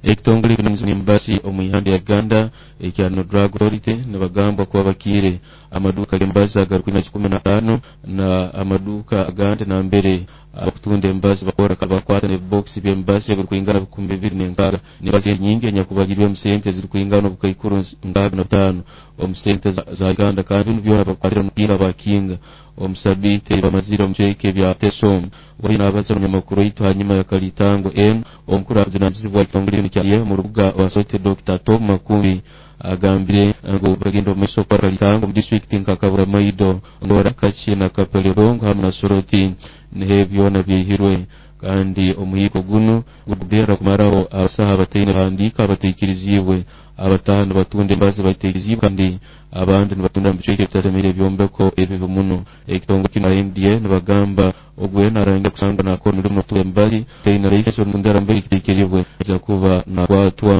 Ekitongole ekirungi embasi omu ihanga lya Uganda ekya No Drug Authority nibagambwa kuba bakiire amaduuka g'embazi agarikwina 15 na amaduuka agandi nambere abakutunda embazi bakora bakwata n'ebibokisi by'embazi ebirikwingana 2006 n'embazi nyingi enyakubalirwemu sente ezirikwingana obukaikuru 65 omu sente za Uganda. Kandi binu byona bakwatire omupiira bakinga omu sabiiti bamazire omu bicweka ebya Teso. Wali nabaza omunyamakuru waitu hanyuma ya Kalitango enu, omukuru akujunanizibwa ekitongole kinu kya omu rubuga rwa Sote, Dr. Tom Makumbi, agambire ngu bagenda omu maiso kukora Kalitango omu disitulikiti nka Kaburamaido, Ngora, Kachi na Kapelerongo hamu na Soroti, niho byona byaihirwe. Kandi omuhiiko gunu gugenda kumaraho abasaha abataine bahandiika abataikirizibwe, abataha nibatunda embazi bataikirizibwe, kandi abandi nibatunda mu bicweka ebitasemire ebyombeko ebibi muno. Ekitongole kinu NDA nibagamba ogwe narangira kusangwa nakora omulimo n'okutunda embazi taine license omutundira mbere kitaikiribwe aija kuba nakwatwa.